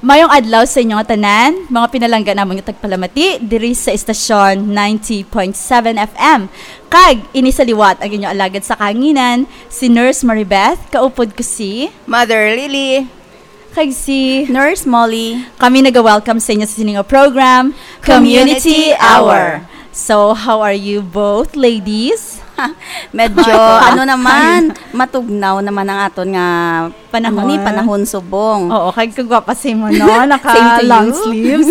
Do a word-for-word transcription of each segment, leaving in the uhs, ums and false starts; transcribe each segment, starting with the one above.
Mayong adlaw sa inyo nga tanan, mga pinalangga namon nga tagpalamati diri sa estasyon ninety point seven F M. Kag ini sa liwat ang inyo alagad sa kahanginan, si Nurse Maribeth, kaupod ko si Mother Lily. Kag si Nurse Molly. Kami naga-welcome sa inyo sa sini nga program, Community Community Hour. Hour. So, how are you both, ladies? Medyo, ano naman, matugnaw naman ang aton nga, Panahon. ano ni, panahon subong. Oo, kag kagwapa si mo, no? Same to Naka-long you. sleeves.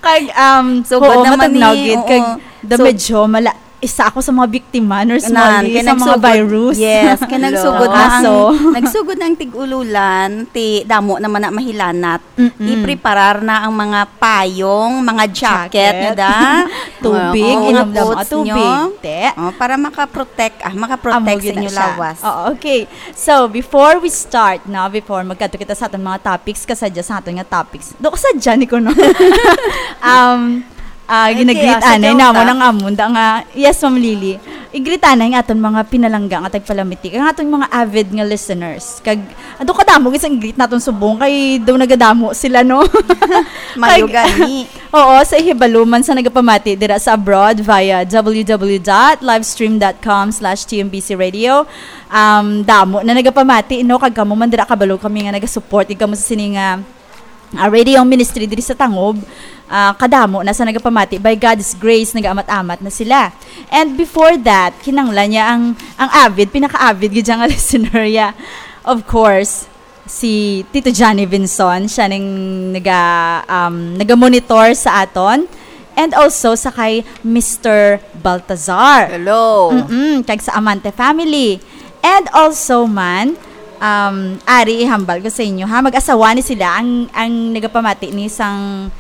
Kag, um, So, good oo, naman matugnaw ni, gid. oo. Kag, da So, medyo mala-, isa ako sa mga biktima, Nurse Nan, Molly, kay sa mga nagsugod, virus. yes, kay nagsugod na ang, Kaso, nagsugod na ang tig-ululan, ti damo naman na mahilanat. Mm-mm. Ipreparar na ang mga payong, mga jacket, Jacket. nga da. Tubig, Oo, inom lang mga coats tubig, nyo. te. Oh, para makaprotect, ah, makaprotect Amo sa gyud na inyo siya. lawas. Oo, okay. So, before we start, no, before magkadto kita sa aton mga topics, kasadya sa aton nga topics. Do kasadya ni ko, no? Um, ah, Okay, ginagreet ah, sa anay joke namo ka. nang amon da nga, yes, Ma'am Lily. I-greet anay ang aton mga pinalangga nga tagpalamiti, ang aton mga avid nga listeners. Kag, ato kadamo gid sang i-greet naton subong kay daw nagadamo sila, no? Mayo Kag, gani. Oo, sa ihibalo man sa nagapamati dira sa abroad via w w w dot livestream dot com slash t m b c radio. Um, damo na nagapamati, no? Kag kamo man dira kabalo kami nga nagasupport gid kamo sa sini nga, ah, radio ministry diri sa Tangob. Ah, kadamo na sa nagapamati. By God's grace, nagaamat-amat na sila. And before that, kinanglan niya ang, ang avid, pinaka-avid gid siya nga listener, yeah. Of course, si Tito Johnny Vinson, siya ning naga, um, naga-monitor sa aton. And also sa kay Mister Baltazar. Hello. Mm-mm, kag sa Amante family. And also man, um, ari ihambal ko sa inyo, ha, mag-asawa ni sila ang, ang nagapamati ni sang,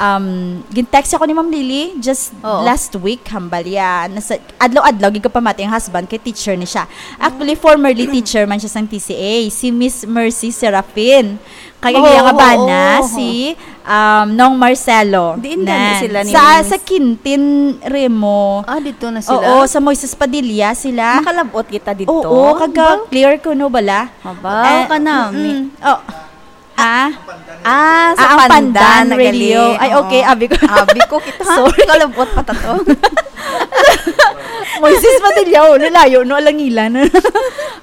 um, gin-text ako ni Ma'am Lily just Oo. last week, hambal ya. Nasa, adlaw-adlaw gid ko pamati ang husband kay teacher ni siya. Actually, formerly teacher man siya sang T C A, si Miss Mercy Serafin. Kag ang Oo, iya nga bana, oo. si, um, Nong Marcelo. Diin gani Nan. sila ni Sa, Miss? sa Quintin Remo. Ah, dito na sila? Oo, sa Moises Padilla sila. Makalabot kita dito? Oo, kaga Ba? clear ko, no, bala? Mabaw Eh, ka na, mm, mi- oh. Ah? Ah, sa Ah, ang Pandan, Pandan nagali. Radio. Ay, Oo. okay, abi ko. Abi ko kita. Sorry. Kalabot pa ta to. Moises Padilla, oh, lalayo, no, alangilan.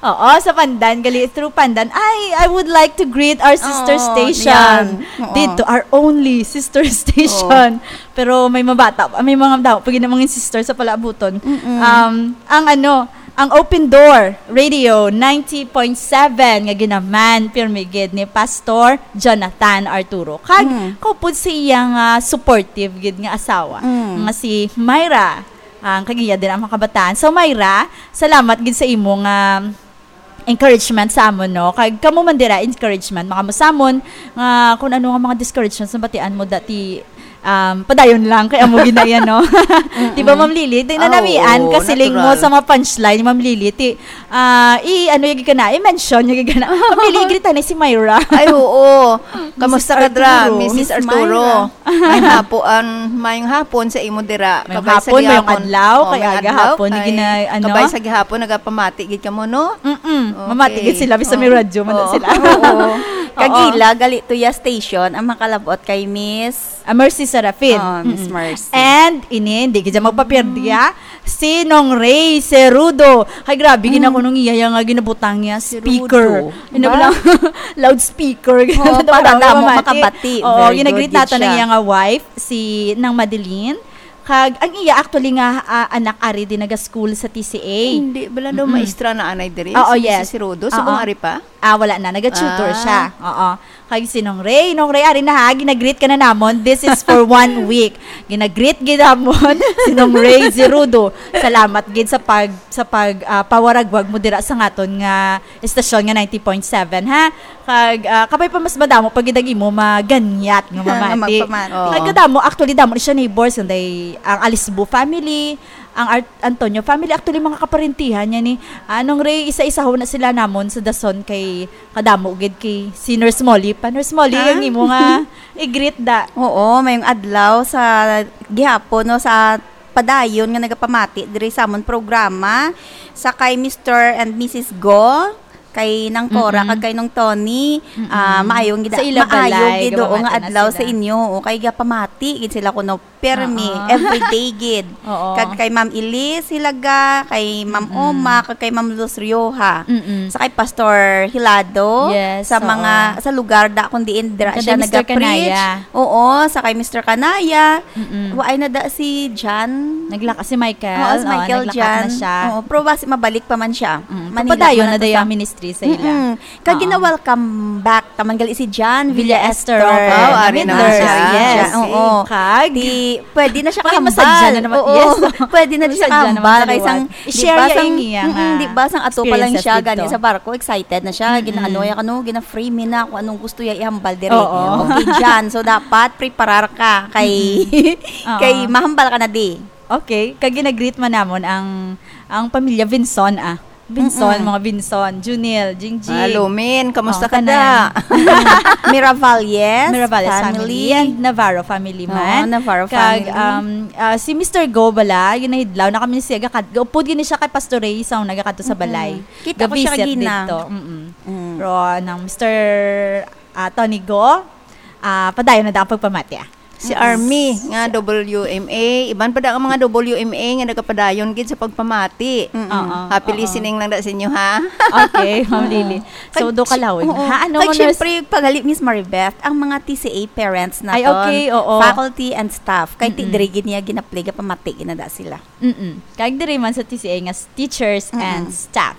Oo, sa Pandan, gali through Pandan. Ay, I would like to greet our sister Oo, station. yan. Oo. Dito, our only sister station. Oo. Pero may mabata, may mga daw, pag mga sister sa Palabuton. Mm-mm. Um, ang ano, ang Open Door Radio ninety point seven nga ginaman, pirmi gid ni Pastor Jonathan Arturo. Kag Mm. kaupod sa iya nga supportive gid nga asawa, Mm. nga si Myra. Ang kag iya din ang mga kabataan. So, Myra, salamat gid sa imo nga encouragement sa amon, no? Kag kamo man dira, encouragement, makamusamon nga kung ano nga mga discouragements na batian mo dati, um, padayon lang kay amo ginaya, no? Di ba, Mm-mm. Ma'am Lily? Di na Ah, namian, oo, kasiling mo natural. sa mga punchline, Ma'am Lily. Ti, ah, i-, ano yung gigana? I-mention yung gigana. Ma'am Lily, greet na si Myra. Ay, oo. Kamusta Mister ka dra, Arturo. Missus Miss Arturo? Myra. May hapo-, ang, mayong hapon sa imo dira. Mayong Kabay sa hapon, mayong gihapon. adlaw, Oh, kay mayong aga adlaw, hapon, kay gina-, ano? kabay sa gihapon, nagapamati gid kamo, no? Mm-mm. Okay. Mamati gid sila, bisan may Oh. radyo man na Oo. sila. Oo. Kag Oo. ila, gali to ya station, ang makalabot kay Miss Ah, Mercy Serafin. Oh, Miss Mm-mm. Mercy. And ini, hindi gid siya magpapirdi, Mm. ah. Si Nong Ray Cerudo. Ay, grabe, Mm. gina ko nung iya nga ginabutang niya, Si speaker. Rudo. Ano Ba? ba lang? Loudspeaker. Oh, Dapat para daw damo mamati. makabati. Oo, Very ginagreet good nato yun na siya. iya nga wife, si Nang Madeline. Kag ang iya actually nga, ah, anak ari din naga-school sa T C A. Hindi, bala daw Mm-mm. maestra na anay diri, Oo, si yes. Missus Cerudo. Oo. Subong ari pa? Ah, wala na. Naga-tutor Ah. siya. Oo. Kag si Nong Ray, Nong Ray, ari na ha, ginagreet ka na namon. This is for one week. Ginagreet gid namon si Nong Ray Zerudo. Salamat gid sa pag, sa pag, ah, pawaragwag mo dira sa ngaton nga estasyon nga ninety point seven, ha? Kag, ah, kabay pa mas madamo pa gid ang imo maganyat nga Nga mamati. magpamati. Kag Oo. kadamo, actually, damo ni siya neighbors, kundi ang Alisbo family, ang Art-, Antonio family, actually, mga kaparentihan niya ni, ah, Nong Ray, isa-isaho na sila namon sa dason kay kadamo gid kay si Nurse Molly pa. Nurse Molly, Ah? ang imo nga i-greet da. Oo, mayong adlaw sa gihapon, no, sa padayon nga nagapamati diri sa amon programa, sa kay Mister and Missus Go, kay Nang Cora, Mm-mm. kag kay Nong Tony, Mm-mm. ah, maayong gid, Sa ila maayo balay, gid, oo, nga gapamati na adlaw sila. Sa inyo, oo, kay gapamati gid sila kuno, permi, Oo. everyday gid. Oo. Kag kay Ma'am Elise Hilaga, kay Ma'am Mm-mm. Oma, kag kay Ma'am Luz Rioja. Mm-mm. Sa kay Pastor Hilado, Yes, sa oo. mga, sa lugar da kung diin dira Kada siya Mister nagapreach. Kanaya. Oo, sa kay Mister Kanaya. Mm-mm. Waay na da si John. Naglaka-, si Michael. Oo, si Oo, Michael naglaka na John. Siya. Oo, pero basi mabalik pa man siya. Mm, Manila papadayon man na to dayon sa ang ministry sa ila. Mm-mm. Kag Oo. gina-welcome back taman gali si John Villa Villa Esther. Esther. Wow, ari Midler. Naman siya. Yes. John, oo. Kag Di, pwede na siya Pwede kahambal. Masadya na naman. Oo. Yes. Pwede na siya Masadya naman kahambal. Kay sang, liwat. I-share di ba, niya sang, yung iya mm-mm, nga di ba, sang ato pa lang experiences siya, dito. Gani sa barko, excited na siya. Mm-mm. Ginaano ya, ano, gina-free me na kung anong gusto ya ihambal diri. Oo. Okay, John. So, dapat preparar ka kay, Mm-mm. kay Oo. mahambal ka na di. Okay. Kag ginagreet man namon ang, ang pamilya Vinson, ah. Vinson, Mm-mm. mga Vinson, Junil, Jingjing. Hello, Min. Kamusta Oh, ka kanan. da? Miravalles Miravalles family. family and Navarro family Oo, man. Navarro Kag, family. um, ah, si Mister Go bala, ginahidlaw na kami siya, gakad-, gaupod gini siya kay Pastor Ray, sa una gakadto sa Mm-mm. balay. Kita ko siya Ga-visit kagina. dito. Mm-mm. Mm. Pero nang Mister, ah, Tony Go, ah, padayon na daw ang pagpamati, ah. Si Mm-mm. Army nga W M A, iban pa da ang mga W M A nga nagapadayon gid sa pagpamati. Mm-mm. Oo, Happy oo. listening lang da sa inyo, ha? Okay, Ma'am Oo. Lily. So, Kag do ka si-, lawig. oo. Ha? Ano Kag mo nas- syempre, pagali, Miss Maribeth, ang mga T C A parents Ay, naton, okay, oo. faculty and staff, kay ti-, Mm-mm. diri gid niya ginaplay, gapamati gid na da sila. Mm-mm. Kag diri man sa T C A nga s-, teachers Mm-mm. and staff.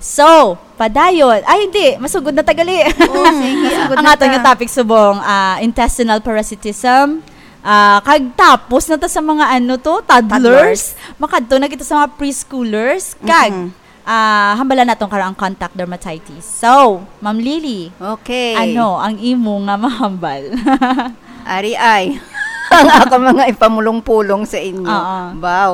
So, padayon. Ay, hindi. Masugod na tagali. Oo, sige. Masugod Ang na aton ta. nga topic subong, ah, intestinal parasitism. Ah, kag tapos na ta sa mga ano to, toddlers. Toddlers. Makadto na kita sa mga preschoolers. Kag, Mm-mm. ah, hambalan naton karon ang contact dermatitis. So, Ma'am Lily, Okay. ano ang imo nga mahambal? Ari ay, ang ako mga ipamulong-pulong sa inyo. Oo. Wow.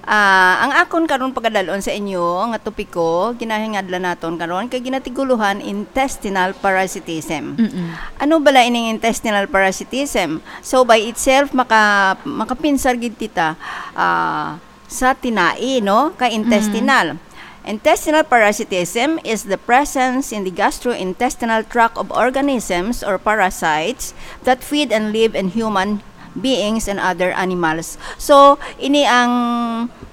Ah, ang akon karon pagadalon sa inyo nga topiko, ginahingadlan naton karon kay ginatiguluhan intestinal parasitism. Mm-mm. Ano bala ining intestinal parasitism? So, by itself, maka-, makapinsar gid kita, ah, sa tinai, no? Kay Mm. intestinal. Intestinal parasitism is the presence in the gastrointestinal tract of organisms or parasites that feed and live in human beings and other animals. So, ini ang,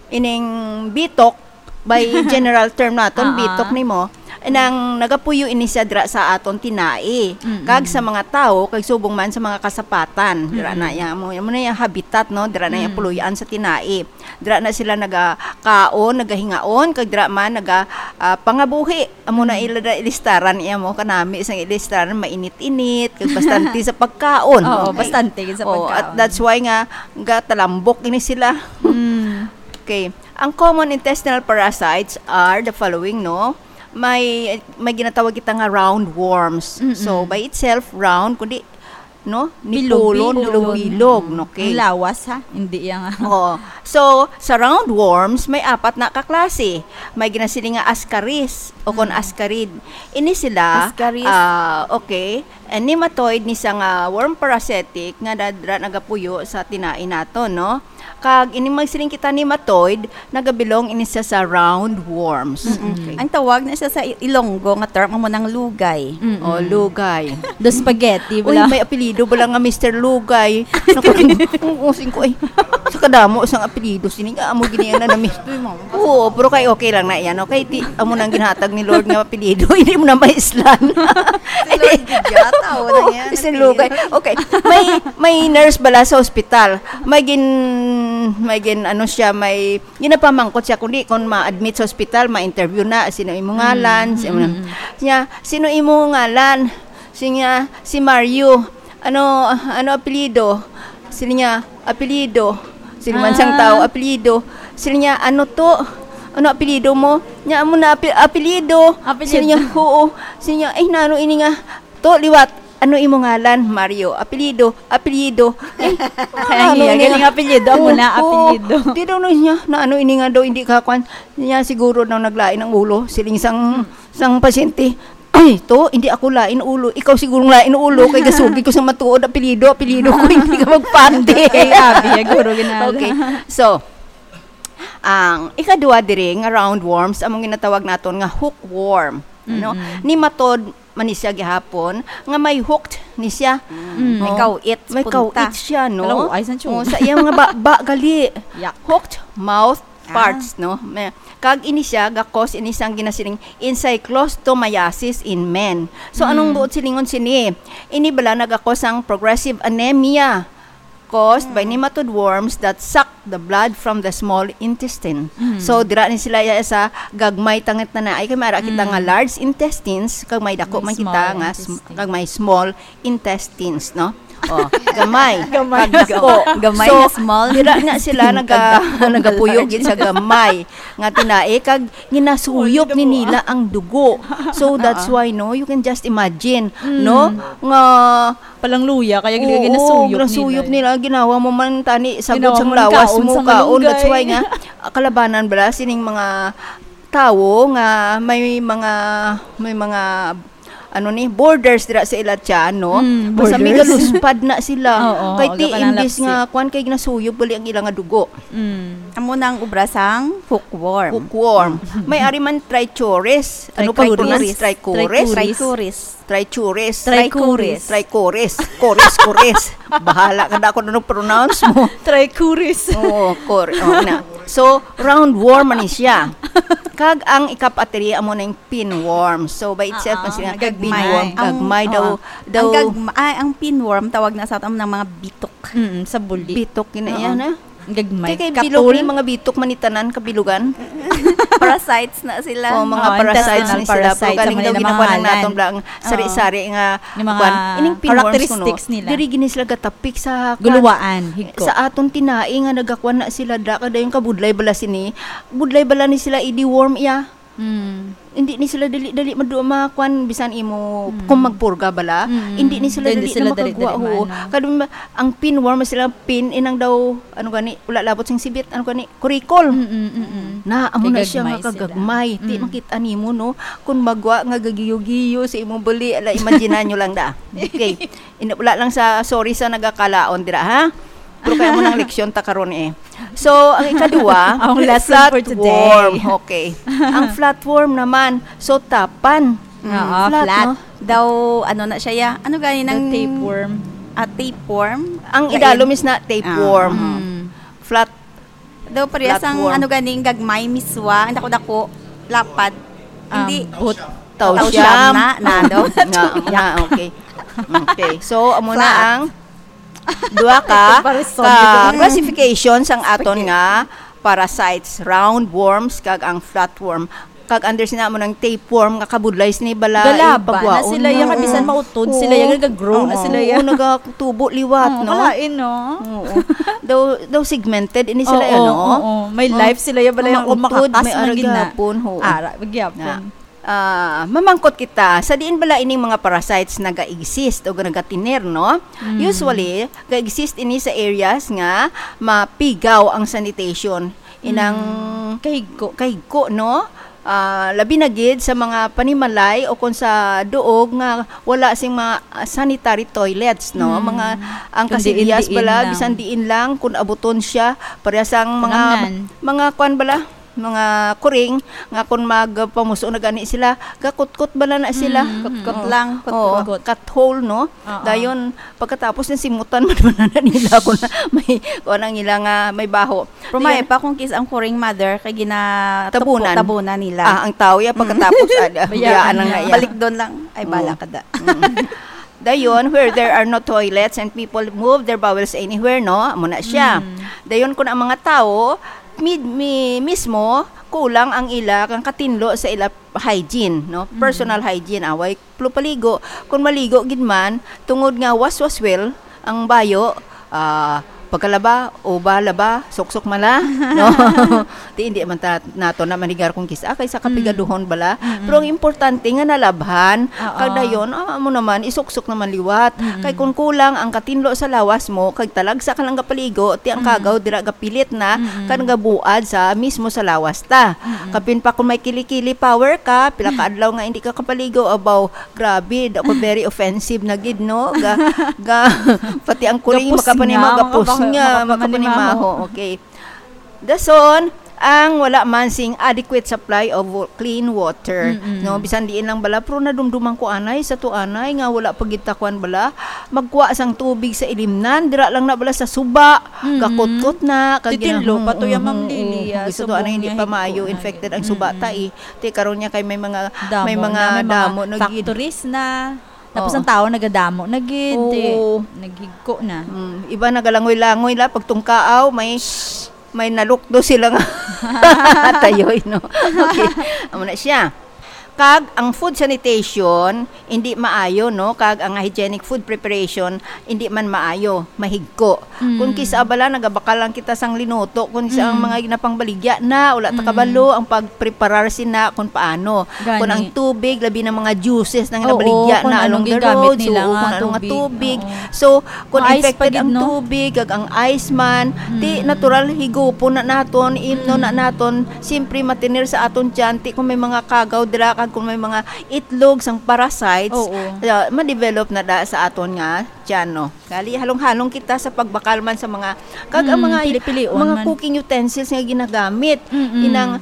ining bitok, by general term naton, Ah, ah. bitok nimo, nang nagapuyo ini siya dira sa aton tinai. Mm-mm. Kag sa mga tawo, kag subong man sa mga kasapatan, dira na Mm-mm. iya, mo, mo na iya habitat, no? Dira na iya Mm. puloy-an sa tinai. Dira na sila nagakaon, nagahingaon, kag dira man naga, ah, pangabuhi. Amo na Mm. ila da ilistaran iya mo, kanami sang ilistaran, mainit-init, kag bastante sa pagkaon. Oo, Okay. bastante gid sa Oo, pagkaon. At that's why nga gatalambok ini sila. Mm. Okay. Ang common intestinal parasites are the following, no? May, may ginatawag kita nga round worms. Mm-mm. So, by itself, round, kundi no? Ni Bilog-bilog. Pulon, bilog-bilog, Mm. no? Okay. Ang lawas, ha? Hindi yang Oo. So, sa roundworms, may apat na ka klase. May ginasiling nga ascaris o kon Mm. ascarid. Ini sila, Ascaris. ah, okay. And nematoid ni sa nga worm parasitic nga nadra nagapuyo sa tinai nato, no? Kag ini magsiling kita nematoid, nagabilong ini siya sa roundworms. Mm-mm. Okay. Ang tawag na siya sa I-, Ilonggo nga term, amo nang lugay. Mm-mm. Oh, lugay. The spaghetti, Uy, bala. May apelyido bala nga Mister Lugay. Naku, oo, singko, ay, sa kadamo sang apelyido, sini nga, amo gini na, na Mister. Oo, pero kay okay lang na yan, okay? Ti, amo nang ginhatag ni Lord nga apelyido, hindi mo na maislan. Si Lord Gidyata, o, Oo, nang yan, Mister apelyido. Lugay. Okay, may, may nurse bala sa ospital. May gin, may gin, ano siya, may ginapamangkot siya, kundi kung ma-admit sa ospital, ma-interview na, sino imo ngalan, Mm, sino, mm, mm. Siya, "Sino imo ngalan?" Siya, "Si Mario." "Ano, ano apelyido?" Sila niya, "Apelyido." Sila man sang Ah. tao, "Apelyido." Sila niya, "Ano to? Ano apelyido mo?" Niya, "Amo na ape-, apelyido." Apelyido. Sila niya, "Oo." Sila niya, "Ay, nano ini nga?" To, liwat. "Ano imo ngalan?" "Mario." "Apelyido?" "Apelyido." Eh, Kaya ano niya, niya? Galing apelyido. Amo Oo, na, oo. Apelyido. Di daw na niya, na ano ini nga daw, hindi ka kwan. Niya, siguro daw naglain ang ulo. Siling sang, Hmm. sang pasyente, "Ay, to, hindi ako lain ulo. Ikaw siguro lain ulo. Kay gasugi ko sa matuod, apelyido, apelyido ko, hindi ka magpande." Ay, abi, ya, guro, ginala. Okay. So, ang ikadua diri nga roundworms, among ginatawag naton nga hookworm. No? Mm-mm. Nematode man ni siya gihapon, nga may hooked ni siya. Mm, may Oh, kawit sa may punta. Kawit siya, no? Kalaw-ay, san siya? Oh, sa iyang mga ba, ba gali. Yak. Hooked mouth Ah. parts, no? May, kag ini siya, ga-cause ini sang ginasiling encyclostomiasis in men. So, anong Mm. buot silingon sini? Ini bala naga-cause sang progressive anemia caused by Mm. nematode worms that suck the blood from the small intestine. Mm. So, dira ni sila ya sa gagmay tangit na na. Ay, kay mara kita nga Mm. large intestines, kag may dako May man kita small nga sm-, intestine. kag may small intestines, no? Oh, gamay. Gamay. Kag dako. Gamay So, na small. dira na sila Kag naga-, dako. nagapuyo gid sa gamay nga tinai, kag ginasuyop Small ni gamay. nila ang dugo. So, that's Oo. why, no, you can just imagine, Mm. no, nga Palang luya, kaya gina-, Oo, ginasuyop ginasuyop nila. nila. Ginawa mo man tani, sagod Ginawa sang mo man lawas kaon mo, sa kaon. That's malunggay. why nga, ah, kalabanan bala sining mga tawo nga may mga, may mga, ano ni, borders dira sa ila tiyan, no? Mm, Basta may borders. galuspad na sila. Oo, Kay ti, wala ka nang imbis lapsi. nga, kwan, kay ginasuyop gali ang ila nga dugo. Mm. Amo na ang obra sang hookworm. Hookworm. May ari man trichurus. Ano pa Trichurus. pronounce? Trichurus? Trichurus. Trichurus. Trichurus. Trichurus. Kores, kores. Bahala ka na kung anong pronounce mo. Trichurus. Oo, kor-, oo na. So, roundworm man ni siya. Kag ang ikapatri amo na yung pinworm. So, by itself, Ah, man sila gagmay. pinworm. Ang, Gagmay daw, oo. daw. Ang gagma-, ay, ang pinworm, tawag na sa aton ng mga bitok. Mm, sa buli. Bitok, yun na Oo. yan, ah. Gagmay. Kay, kay Katul. bilog ni mga bitok man ni tanan, kabilugan. Parasites na sila. Oh, mga Oo, parasites intestinal ni sila. Pero parasites, galing ang daw mga ginakuha lang namahalan. naton bala ang Oo. sari-sari nga Yung mga kuwan. Ining pinworms ko, no? characteristics nila. Diri gini sila gatapik sa kuwan. Guluwaan, higko. Sa aton tinai nga nagakuan na sila da, kada yung kabudlay bala sini, budlay bala ni sila i-deworm iya. Mm. Hindi ni sila dali-dali madu-, makuan bisan imo Mm. kung magpurga bala. Mm. Hindi ni sila Hindi dali sila na dali-dali makagwa, oo. maano. Kadun ba, ang pinworm sila, pin, inang daw, ano gani, wala labot sing sibit, ano gani, kurikol. Mm, mm, mm, mm. Na, amo na siya nga Kagagmay sila. kagagmay. Ti Mm. makita nimo, no? Kung magwa nga gagiyo-giyo sa imong bali, ala, imagine nyo lang da. Okay. Ina-, wala lang sa, sorry sa nagakalaon dira, ha? Pero kaya mo nang leksyon ta karon eh. So, ang ikaduwa, Ang lesson for today. flatworm. Okay. Ang flatworm naman, so tapan. Oo, Flat, flat. no? Daw, ano na siya, ya? Ano gani The ng tapeworm. ah, tapeworm? Ang Lain. idalom is na tapeworm. Ah. Mm. Flat. Daw parehas ang Flatworm. ano ganing gagmay, miswa, ang dako-dako, lapad. Ah, Hindi. but Tau Tau siyam. siyam na, na, no? Na, na, okay. Okay. So, amo na Flat. ang duha ka, Comparison ka dito. classification sang aton Spaghetti. nga parasites, roundworms, kag ang flatworm. Kag under sina mo ng tapeworm, nga kabudlay sini bala, Galaba na ipagwaon sila, na. ya, kabisan Mm. mautod sila, ya, Oo. nagagrow na Oo, sila, ya. oo, nagatubo liwat, Oo, no? kalain, no? Oo. Daw, daw segmented ini sila, Oo, ano? oo. May Oh. life sila, ya, bala, Mga yung utod, makakas may man gina. aragapon, oo. Ara, magyapon. Na. Ah, mamangkot kita, sa diin bala ining mga parasites naga-exist o nagatiner, no? Mm. Usually, ga-exist ini sa areas nga mapigaw ang sanitation. Inang Mm. Kahigko. kahigko, no? Ah, labi na gid sa mga panimalay o kung sa duog nga wala sing mga, ah, sanitary toilets, no? Mm. Mga, ang Kung diin-diin kasilyas bala, lang. bisan diin lang, kung abuton siya, parehas ang mga, Tanan. mga kwan bala, mga kuring, nga kung magpamuso na gani sila, gakutkot bala na sila. Mm, Kutkot mm. lang, Oo, kutkot. cut hole, no? Oo. Dayon, pagkatapos ng simutan, man, man na nila kung may, kung ang ila nga may baho. Pero may Dayon, pa kung kis ang kuring mother, kay gina-, Tabunan. tabunan nila. Ah, ang tao, ya, Mm. pagkatapos, ah, Bayaan biyaan lang na na. iya. Balik doon lang. Ay, bala Oo. ka da. Mm. Dayon, where there are no toilets and people move their bowels anywhere, no? Amo na siya. Mm. Dayon, kung ang mga tao, mid-, mi-, mismo, kulang ang ila kang katinlo sa ila hygiene, no? Mm. Personal hygiene, away plo paligo. Kung maligo gid man, tungod nga was was well, ang bayo, ah, pagkalaba, uba, laba, suksok mala, no? Di, hindi man ta-, nato na manigar kung kis-, ah, kay sa Mm. kapigaduhon bala. Mm-mm. Pero ang importante nga nalabhan, Oo. kag dayon, ah, amo naman, isuksok naman liwat. Mm-mm. Kay kung kulang ang katinlo sa lawas mo, kag talagsa ka lang gapaligo, ti ang Mm. kagaw dira gapilit na, Mm-mm. kag gabuad sa mismo sa lawas ta. Mm-mm. Kapin pa kung may kili-kili power ka, pila ka adlaw nga hindi ka kapaligo, abaw, grabe, dako very offensive na gid, no? Ga, ga, pati ang kuring Gapos makapanimaho, nga, gapos makapa-, nga, makapanimaho. makapanimaho. Okay. Dason, ang wala man sing adequate supply of wa-, clean water, Mm-mm. no? Bisan diin lang bala, pero nadumduman ko anay sa to anay nga wala pa gid ta kuan bala, magkuha sang tubig sa ilimnan, dira lang na bala sa suba, Mm-mm. gakutkot na, kag Titinlo gina-, pa to ya, mm, Ma'am mm, Lily, mm, ah, gusto to, subong anay, hindi niya pa higko maayo na infected gid. ang suba Mm-mm. ta, eh. Ti karon niya kay may mga, Damo may mga na, may mga damo na gid. factories na. Tapos Oo. ang tao nagadamo na gid, Oo. eh, naghigko na. Mm, iba nagalangoy-langoy la, pagtungkaaw, may, may nalukdo sila nga tayoy, no? Okay, amo na siya. Kag ang food sanitation, hindi maayo, no? Kag ang hygienic food preparation, hindi man maayo, mahigko. Mm. Kung kisa bala, nagabakal lang kita sang linuto, kung sa ang Mm. mga ginapangbaligya na, wala ta Mm. kabalo ang pagpreparar sina kung paano. Gani. Kung ang tubig, labi ng mga juices na Oo, ginabaligya kung na anong along the gigamit roads, nila oo, nga kung ano nga tubig. tubig. Oo. So, kung Nga ice pa infected gid, ang no? tubig, kag ang ice man, ti Mm. natural higupon na naton, imno na Mm. naton, siyempre matinir sa aton tiyan, ti kung may mga kagaw dira, kag kung may mga itlog sang parasites, Oo. uh, ma-develop na da sa aton nga tiyan, no? Gali, halong-halong kita sa pagbakal man sa mga, kag ang Mm, mga, pili-pilion mga man. cooking utensils nga ginagamit, Mm-mm. inang,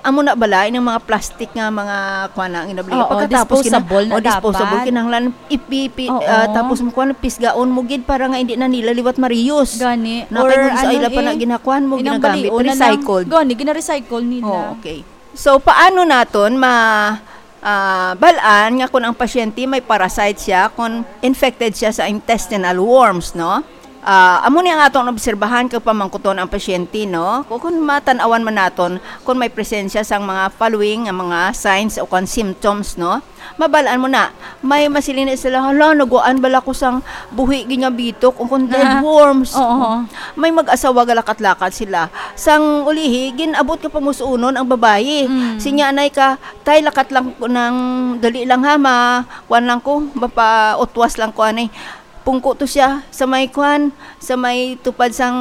amo na bala, inang mga plastic nga mga, kuwan na, ang ginabaligya. Oo, Pagkatapos, kina-, disposable na o, disposable, dapat. kinahanglan ipipi-, Oo. ah, tapos mo, kuwan, pisgaon mo gid para nga hindi na nila liwat mariyos. Gani. Na Or kay kung sa ano, ila pa na eh, ginakuan mo, inang ginagamit, balion na lang. recycled. Gani, gina-recycle nila. Oh, okay. So, paano naton ma-, ah, bal-an nga kung ang pasyente may parasite siya, kung infected siya sa intestinal worms, no? Ah, amo ni ang aton obserbahan kag pamangkuton ang pasyente, no? Kung, kung matan-awan man naton kung may presensya sang mga following nga mga signs o kung symptoms, no? Mabal-an mo na, may masiling na sila, "Hala, naguan bala ko sang buhi gid nga bitok o kung dead Ah, worms." oo. May mag-asawa galakat-lakat sila. Sang ulihi, gin-abot ka pamusunon ang babayi. Mm. Sinya anay ka, "Tay, lakat lang ko nang, dali lang ha, ma-, kuan lang ko, mapautwas lang ko anay." Pungko to siya sa may kuan, sa may tupad sang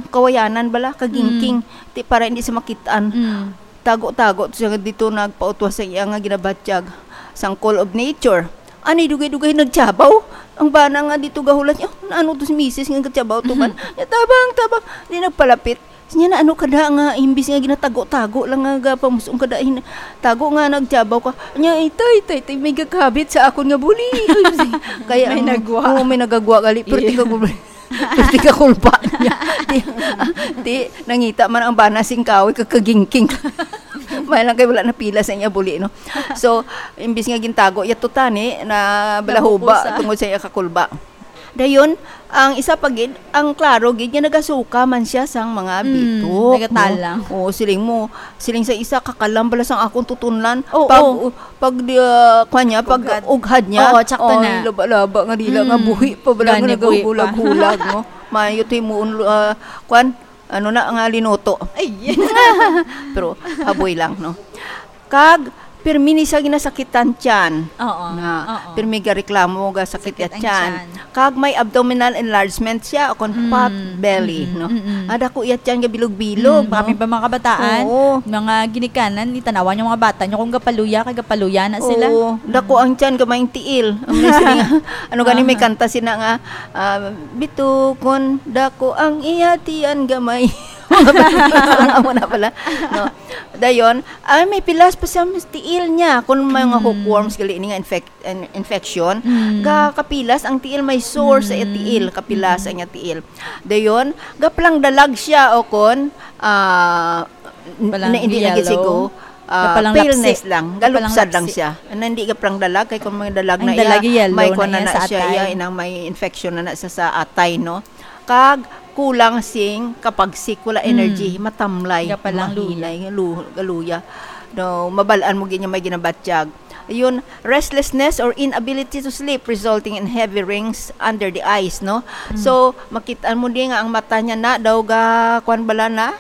kawayanan bala, kagingking. Mm. Ti, para hindi siya makitaan. Mm. Tago-tago to siya dito, nagpautwas sa iya nga ginabatyag. Sang call of nature. Ani, dugay-dugay nagtiyabaw. Ang bana nga dito gahulat niya, "Oh, naano to si misis nga nagtiyabaw to man?" Niya, "Tabang, tabang." Di nagpalapit. Sinya na, "Ano ka da nga imbis nga ginatago-tago lang nga gapamusong ka da, hin-, tago nga nagtiyabaw ka?" Niya, "Itay, itay, itay, may gakabit sa akon nga buli." Kaya May ang, nagwa. Oo, may nagagwa gali. Pero Yeah. tika ko, pero tika kulba niya. Di, di, nangita man ang bana sing kahoy, kag kagingking. May lang kay wala na pila sa iya buli, no? So, imbis nga gintago, yato tani, na balahuba Napupusa. tungod sa iya kakulba. Dayon, ang isa pa gid, ang klaro gid nga nagasuka man siya sang mga Mm, bitok, nagatalang. no? Oo, siling mo, siling sa isa, "Kakalam bala sang akong tutunlan." Oo. Pag, pag, di, ah, kwan niya, pag Ughad. ughad niya, Oo, tsakto oy, na. laba-laba nga dila nga Mm. buhi pa bala nga Gani, buhi pa. naghuhulag-hulag, no? Mayo to himuon, ah, kwan, ano na, nga linuto. Ay. Pero haboy lang, no? Kag, pirmi ni siya ginasakitan tiyan. Oo, Na, oo. pirmi gareklamo, gasakit Sakit ya ang tiyan. tiyan. Kag may abdominal enlargement siya, o kon Mm, pot belly, mm, no? mm, mm. Ah, dako ya tiyan, gabilog-bilog, Mm, no? kami pa mga kabataan, Oo. mga ginikanan, itanawan yung mga bata nyo kung gapaluya, kay gapaluya na sila. Oo, dako Mm. ang tiyan, gamay ang tiil. Ang may siling, ano gani, may Aha. kanta sina nga, ah, "Bitukon, dako ang iya tiyan, gamay." Amo na pala, no? Dayon, ay, may pilas pa sa tiil niya. Kung may mga Mm. hookworms, gali ini nga infec-, in-, infection, Mm. ga kapilas ang tiil, may sore sa Mm. tiil, kapilas Mm. ang iya tiil. Dayon, gapalang dalag siya o kon, ah, n-, Palang na hindi na gid yellow. sigo, ah, Gapalang paleness lapsi. lang, Gapalang galupsad lang lapsi. siya. Na hindi gapalang dalag, kay kung may dalag Ang na dalag iya, yellow may na kuwan na iya na sa siya, atay. iya, inang may infection na na siya sa atay, no? Kag kulang sing kapagsik, wala Mm. energy, matamlay, Gapalang luya. mahinay, lu-, galuya. No, mabal-an mo gid niya may ginabatyag. Ayun, restlessness or inability to sleep resulting in heavy rings under the eyes, no? Mm. So, makit-an mo di nga ang mata niya na daw ga, kwan bala na,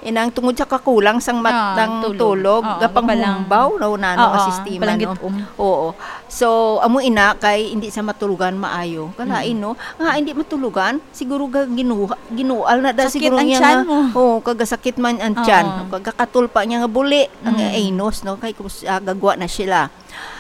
inang tungod sa kakulang sang mat-, Ah, ng tulog. tulog, Oo, gapanghumbaw, gapalang, no, nano nga oo, sistema, gapalang no? gitom. Oo. So, amo ina kay hindi sa matulogan maayo. Kalain, Mm. no? Nga hindi matulogan, siguro ga-, ginuha-, ginual na da Sakit siguro ang niya tiyan nga, mo. oo, kagasakit man ang Oo. tiyan. Kagakatulpa niya nga buli ang Mm. anus, no? Kay kus-, ah, gagwa na sila.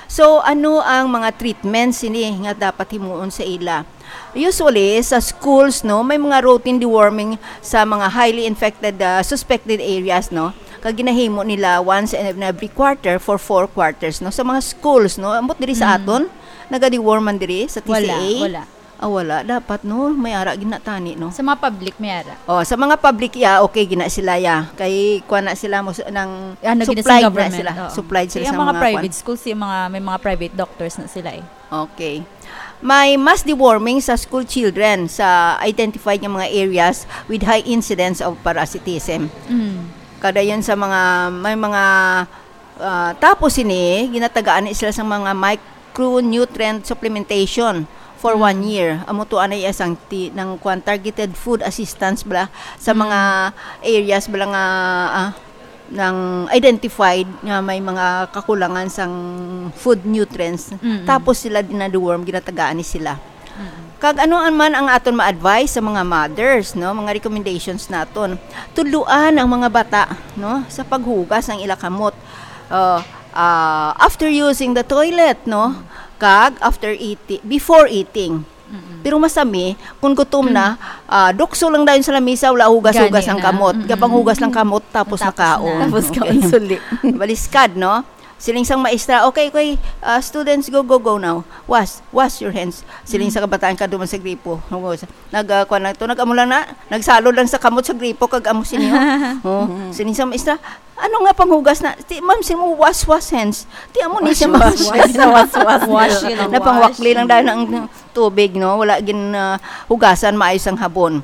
So, ano ang mga treatments ini nga dapat himuon sa ila? Usually, sa schools, no, may mga routine deworming sa mga highly infected, ah, suspected areas, no? Kag ginahimo nila once in every quarter for four quarters, no? Sa mga schools, no? Ambot diri sa Mm. aton, naga-deworm man diri sa T C A? Wala, wala. Ah, wala. Dapat, no? May ara gid na tani, no? Sa mga public, may ara. Oh, sa mga public, ya, okay gid na sila, ya. Kay, kuha na sila, mo, nang Ah, naging sa supplied na government, sila. Oo. Supplied sila Kaya sa ang mga mga private kuwan. schools, yung mga, may mga private doctors na sila, eh. Okay. May mass deworming sa school children sa identified nga mga areas with high incidence of parasitism. Mm. Kada yun sa mga, may mga, ah, tapos sini, ginatagaan ni sila sa mga micronutrient supplementation for Mm. one year. Amo to anay asang ti-, ng kwan, targeted food assistance bala sa Mm. mga areas bala nga, ah, nang identified nga may mga kakulangan sang food nutrients. Mm. Tapos sila dinadeworm, ginatagaan ni sila. Mm. Kag ano man ang aton ma-advise sa mga mothers, no? Mga recommendations naton. Tudloan ang mga bata, no? Sa paghugas ang ila kamot. Uh, ah, after using the toilet, no? Kag after eating, before eating. Mm-mm. Pero masami, kung gutom na, ah, dukso lang dayon sa lamisa, wala hugas-hugas Gani ang na. kamot. Mm-mm. Gapang hugas lang kamot, tapos Tapos nakaon. na. Tapos Okay. kaon suli. Baliskad, no? Siling sang maestra, "Okay, okay, ah, students, go, go, go now. Wash, wash your hands." Siling Mm. sa kabataan ka duman sa gripo. Hugas. Nag, ah, kuwan lang to, nag-amo lang na, nagsalod lang sa kamot sa gripo, kag amo sini, oh. Oh, Mm. siling sa maestra, "Ano nga panghugas na?" "Ti, ma'am, sing mo wash, wash hands." Ti, amo ni Wash, siya wash, mag- wash. Sa wash, wash. Wash, yun ang Napangwakli wash. lang dahil ang tubig, no? Wala gin, ah, hugasan maayos ang habon.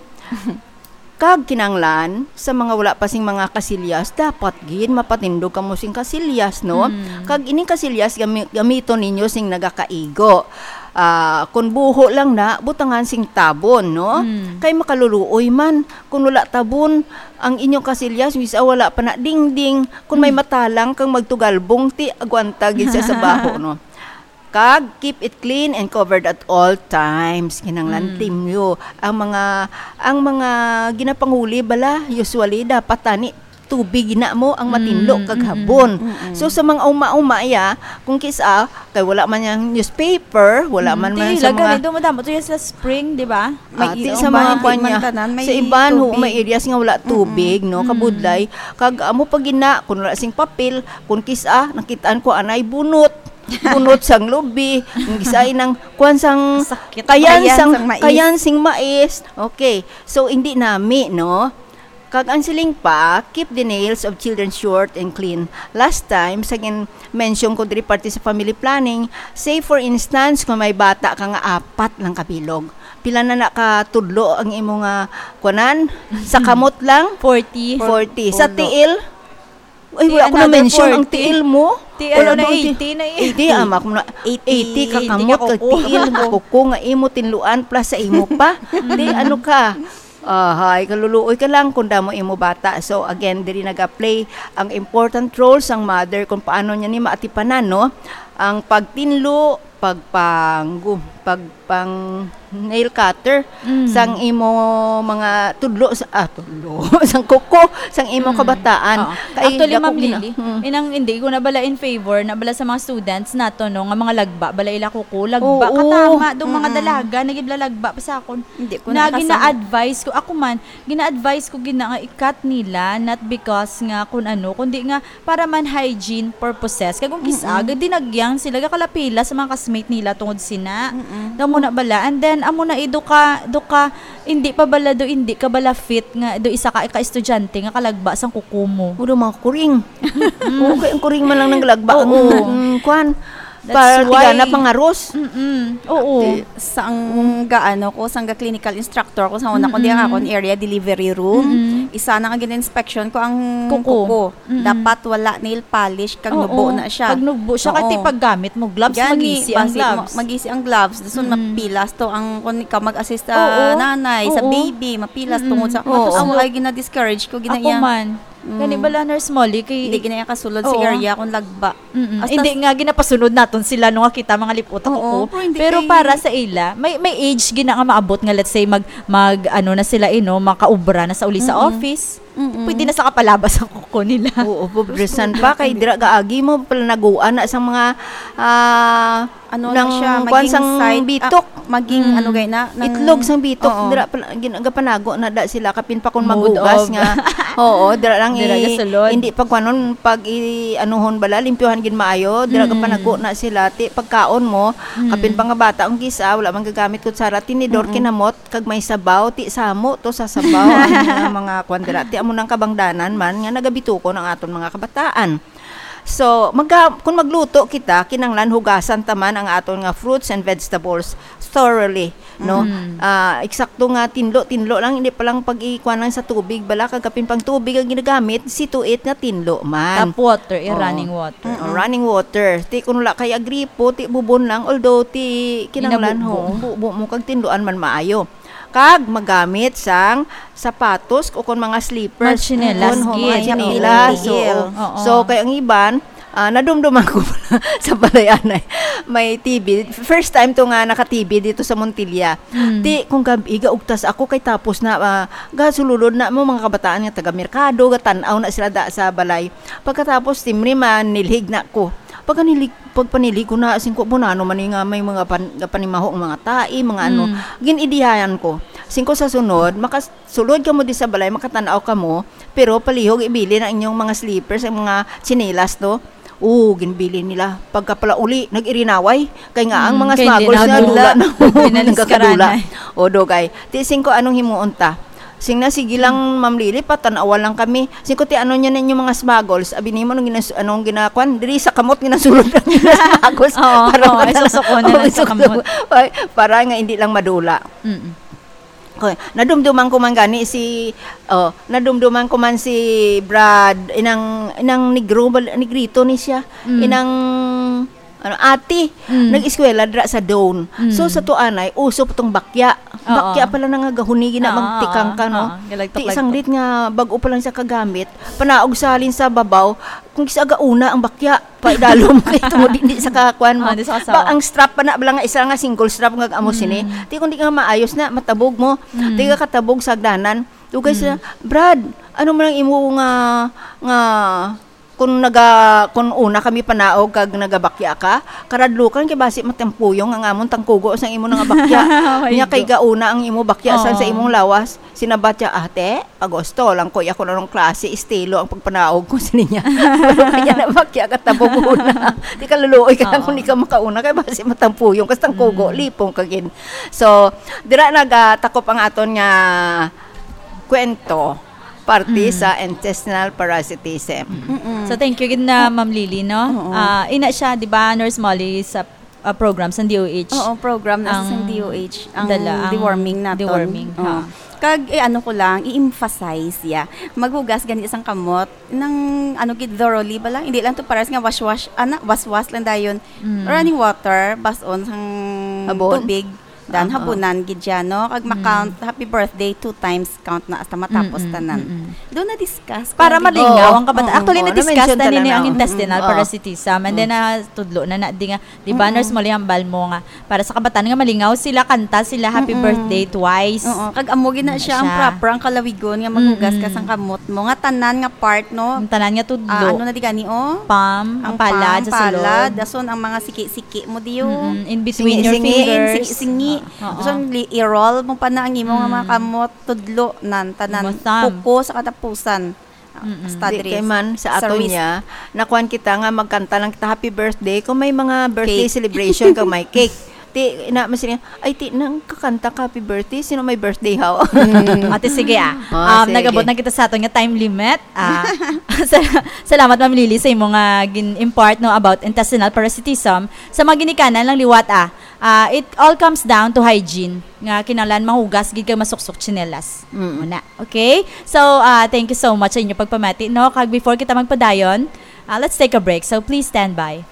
Kag kinanglan, sa mga wala pa sing mga kasilyas, dapat gid mapatindog kamo sing kasilyas, no? Mm. Kag ining kasilyas, gami-, gamiton ninyo sing nagakaigo. Ah, kun buho lang na, butangan sing tabon, no? Mm. Kay makaluluoy man, kun wala tabon, ang inyong kasilyas, bisa wala pa na dingding, kun may Mm. matalang kang magtugalbong, ti, agwanta gid siya sa baho, no? Kag keep it clean and covered at all times. Kinahanglan Mm. timyo ang mga, ang mga ginapanguli bala, usually dapat tani tubig na mo ang matinlo Mm, kag mm, habon. mm. So sa mga uma-uma ya, kung kis-a kay wala man yang newspaper, wala Mm, man ti, man sa laga mga ni, dumadamo to yan sa spring, di ba? Ah, May ti sa ilong mga ba? kwan Hindi man niya, tanan, may sa iban ho, tubig. may areas nga wala Mm-mm. tubig, no, Mm. kabudlay. Kag amo pa gina, kung wala sing papel, kung kis-a, nakitaan ko anay bunot. Bunot sang lubi, kung kis-a inang kwan sang Sakit. kayan Kayan sang, sang mais. kayan sing mais. Okay. So, hindi nami, no? Kag ang siling pa, keep the nails of children short and clean. Last time, sa gin-, mention ko diri parte sa family planning, say for instance, kung may bata ka nga apat lang kabilog, pila na na ka tudlo ang imo nga kuanan? Sa kamot lang? Forty. Forty. Sa Tulo. tiil? Ay, Ti, wala ko another na-mention ang forty. tiil mo. Ti, Wala ano na, doon, ti-, eighty na eh. eighty, ama ko na, Eighty, eighty ka eighty kamot, ka kag kuko. tiil nga kuko nga imo tinluan, plus sa imo pa. Di, ano ka? Ahay, kaluluoy ka lang kung damo imo bata. So, again, diri nag-play ang important role sang mother kung paano niya ni maatipanan, no? Ang pagtinlo, pagpanggu-, pagpang nail cutter, Mm. sang imo mga tudlo sa, ah, tudlo, sang kuko, sang imo Mm. kabataan. Oo. Kay Actually, dako Ma'am gina-, Lily, mm. inang hindi ko na bala in favor na bala sa mga students nato, no, nga mga lagba, bala ila kuko, lagba, Oo. katama, do mga Mm. dalaga, nagibla lagba pa sa akon. Hindi ko Na nakasama. gina-advise ko, ako man, gina-advise ko gina nga i-cut nila, not because nga kun ano, kundi nga para man hygiene purposes. Kag kung kis-a, Mm-mm. gadi nagyang sila, gakalapila sa mga classmate nila tungod sina. Mm-mm. Daw mo na bala. And then, amo na, eh, do ka, do ka, hindi pa bala do, hindi ka bala fit nga, do isa ka, ka estudyante nga kalagba sang kuko mo. Ulo, mga kuring. Mm. Okay, ang kuring man lang nang lagba. Oo. Ang, ang kwan. That's Para why tigana pangaros. Mm-mm. Oo. Ati, sang gaano ko, sang ga clinical instructor ko, sa una ko, di ang Mm-mm. akon area delivery room. Mm-mm. Isa na nga gin-inspection ko ang Kuko. kuko. Mm-mm. Dapat wala nail polish, kag Oo, nubo na siya. kag nubo siya. Oo. Kay ti paggamit mo gloves, Gani, magisi ang basi gloves. mo-, magisi ang gloves. Dason Mm. mapilas to ang, kung ikaw mag-assist sa Oo. nanay, sa Oo. baby, mapilas Mm-mm. tungod sa, Oo. matos mo ay gina-discourage ko, gina Ako iya. man. Mm. Gani bala, Nurse Molly, kay Hindi gina iya kasulod sa Oo. area kung lagba. Mm-mm. Hasta Hindi s- nga, ginapasunod naton sila, no, nga kita mga lipot ang Oo, kuko. pero hindi Pero kay para sa ila, may, may age gina nga maabot nga, let's say, mag, mag, ano na sila, eh, no, makaubra na sa uli sa Mm-mm. office. Mm-mm. Pwede na sa kapalabas ang kuko nila. Oo, pobresan Gusto pa, kay na. dira gaagi mo, pala naguan na sa mga, ah, Ano na Nang siya, kuwan maging sang side, bitok. ah, maging Mm. ano gay na, nang Itlog sang bitok, Oo. dira pa, gin-, gapanago na da sila, kapin pa kung Mood maghugas of nga. Oo, dira lang Dira i-, gasulod. hindi pagkuanon, pag i-, anuhon bala, limpyuhan gid maayo, dira Mm. gapanago na sila, ti pagkaon mo, Mm. kapin pa nga bata, ang gisa, wala man gagamit kutsara, tinidor, Mm. kinamot, kag may sabaw, ti samo to sa sabaw, ang mga, mga kuwan dira, ti amo nang kabangdanan man, nga nagabitukon ang aton mga kabataan. So, maga-, kung magluto kita, kinahanglan hugasan ta man ang aton nga fruits and vegetables thoroughly, no? Mm. Ah, eksakto nga tinlo-tinlo lang, hindi pa lang pag-ikuan lang sa tubig, bala, kag kapin pang tubig ang ginagamit, see to it nga tinlo man. Tap water, eh, Oo. running water. Mm, Oh. running water. Ti kung wala kay agripo, ti bubon lang, although ti kinahanglan, Ginabubo. ho, bubo mo kag tinluan man maayo. Kag magamit sang sapatos o kon mga slippers. Mga tsinelas Kon ho, gid, mga oo. tsinelas, Tiil. oo. Oo. So, kay ang iban, ah, nadumduman ko sa balay anay, may T V. First time to nga naka-T V dito sa Montilla. Mm. Ti, kung gab-i, gaugtas ako kay tapos na, ah, gasululod na mo mga kabataan nga taga merkado, gatan-aw na sila da sa balay. Pagkatapos, timri man, nilhig na ko. Pagkanilig, pagpanilig ko na, singko, bunano man ni nga may mga pan-, panimaho ang mga tae, mga ano. Mm. Gin-idihayan ko. Singko sa sunod, makasulod kamo di sa balay, makatanaw kamo, pero palihog ibilin ang inyong mga slippers, ang mga tsinelas, no? Oo, ginbilin nila. Pagkapalauli, nag-irinaway. Kay nga, ang Mm, mga kay hindi smuggles na nadula. dula na. Hindi na Nagkakadula. niskaranay. O, dugay. Ti, singko, anong himuon ta? Sing na, sige lang, Ma'am Lily, patanawa lang kami. Sing ko, ti, ano niya ninyo mga smuggles? Abi nimo, anong ginas-, anong ginakuan? Diri sa kamot, ginasulod lang yung smuggles. Oo, Para oo, madala. isusuko na Oo, lang sa isusuko. kamot. Ay, para nga hindi lang madula. Mm. Okay, nadumduman ko man gani si, oh, nadumduman ko man si Brad, inang, inang negro, bal-, negrito ni siya. Mm. Inang, ano, ate, Mm. nag-eskwela dira sa Doane. Mm. So, sa tuanay, uso pa tong bakya. Oo. Bakya pala na nga gahuni, gina-, Oo, magtikang ka, oo, no? oo. Galagtok-lagtok. Ti, sanglit nga, bag-o pa lang siya kagamit, panaog sa halin sa babaw, kung isa gauna ang bakya, pa idalom kay tungod hindi sa kakuan mo. Ah, di sa kasawa. Ba, ang strap pa na, bala nga isa nga single strap nga amo sini. Mm. Ti, kung di ka maayos na, matabog mo. Mm. Di ka katabog sa hagdanan. Dugay sila, Mm. "Brad, ano man ang imo nga, nga, kung naga-, kung una kami panaog kag nagabakya ka, karadlukan kay basi matampuyong ang amon tangkugo sa imo nga bakya." Ay, Nya kay do. gauna ang imo bakya sa, sa Oo. imong lawas. Sinabat siya, "Ate, pagusto lang ko, ako na nung klase, estilo ang pagpanaog ko sa niya." Pero kaya na bakya ka tabog una. Di ka luluoy ka lang Oo. kung di ka makauna, kay basi matampuyong, kas tangkugo, Mm. lipong ka gid. So, dira nagatakop ang aton nga kwento, parte Mm. sa intestinal parasitism. Mm-mm. So, thank you gid na, Ma'am Lily, no? Oo. Ah, ina siya, di ba, Nurse Molly, sa, ah, program sa D O H. Oo, program na sa Ang D O H, ang dala, ang deworming naton. deworming, Oo. ha. Kag, eh, ano ko lang, i-emphasize, yeah. Maghugas gani sang kamot, nang, ano, gid, thoroughly ba lang? Hindi lang to paras nga wash-wash, ana, was-was lang dayon. Mm. Running water, bas-on sang Habon? tubig. Dan Oo. habunan gid siya, no? Kag Mm. ma-count happy birthday two times, count na hasta matapos Mm-mm, tanan. mm-mm. Doon na-discuss ko Para ang malingaw Oo, ang kabata-, oo, actually, oo, na-discuss na-mention ta nini lang ang na. intestinal Mm, oo. parasitism. And then, Mm. ah, tudlo na na, di nga, di ba, Mm-mm. Nurse Molly, hambal mo nga, para sa kabatan nga malingaw sila, kanta sila, "Happy Mm-mm. birthday" twice. Oo, kag amo gid na Ano siya ang siya? proper, ang kalawigon nga maghugas ka Mm-mm. sang kamot mo. Nga tanan nga part, no? Ang tanan nga tudlo. Ah, ano na di gani, oh? Palm, ang Ang palad palm, sa sulod. palad, dason ang mga siki-siki mo diyo. Mm-mm. In between your Singi-singi, fingers. singi-singi. Oo. Dason li-, i-roll mo pa na ang imo nga mga Mm. kamot, tudlo, nan, tanan, Imo thumb. puko sa katapusan. Mm-mm. Hasta Di diri kay man, sa sa ato wrist. niya, nakuan kita nga magkanta lang kita, "Happy birthday," kung may mga birthday Cake. celebration kag may cake. Ti, ina, mas niya, "Ay, ti, nang kakanta ka, happy birthday, sino may birthday, haw?" Mm. Ate, sige, ah. Oh, Um, sige. nagabot na kita sa aton nga time limit. Ah, sal-, salamat, Ma'am Lily, sa imo nga gin-impart, no, about intestinal parasitism. Sa mga ginikanan lang liwat, ah, ah, it all comes down to hygiene, nga kinahanglan mahugas gid kag masuksok tsinelas. Mm. Muna. Okay? So, ah, thank you so much sa inyo pagpamati, no? Kag before kita magpadayon, ah, let's take a break. So, please stand by.